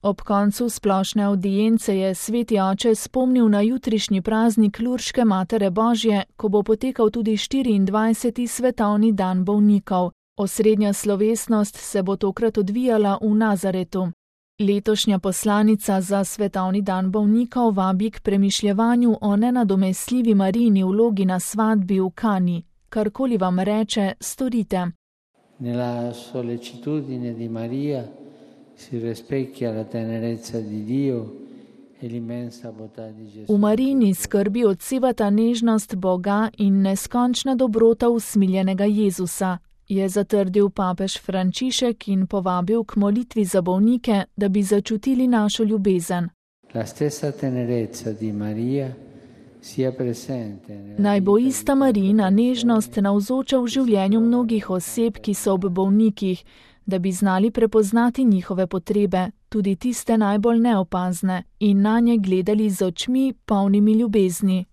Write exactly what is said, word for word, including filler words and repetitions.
Ob koncu splošne avdience je sveti oče spomnil na jutrišnji praznik Lurške Matere Božje, ko bo potekal tudi štiriindvajseti svetovni dan bolnikov. Osrednja slovesnost se bo tokrat odvijala v Nazaretu. Letošnja poslanica za svetovni dan bolnikov vabi k premišljevanju o nenadomestljivi Marijini vlogi na svatbi v Kani. Karkoli vam reče, storite. Nella sollecitudine di Maria si rispecchia la tenerezza di Dio e l'immensa bontà di Gesù. V Marijini skrbi odsevata nežnost Boga in neskončna dobrota usmiljenega Jezusa, je zatrdil papež Frančišek in povabil k molitvi za bolnike, da bi začutili našo ljubezen. La stessa tenerezza di Maria sia presente. Naj bo ista Marijina nežnost navzoča v življenju mnogih oseb, ki so ob bolnikih, da bi znali prepoznati njihove potrebe, tudi tiste najbolj neopazne, in nanje gledali z očmi, polnimi ljubezni.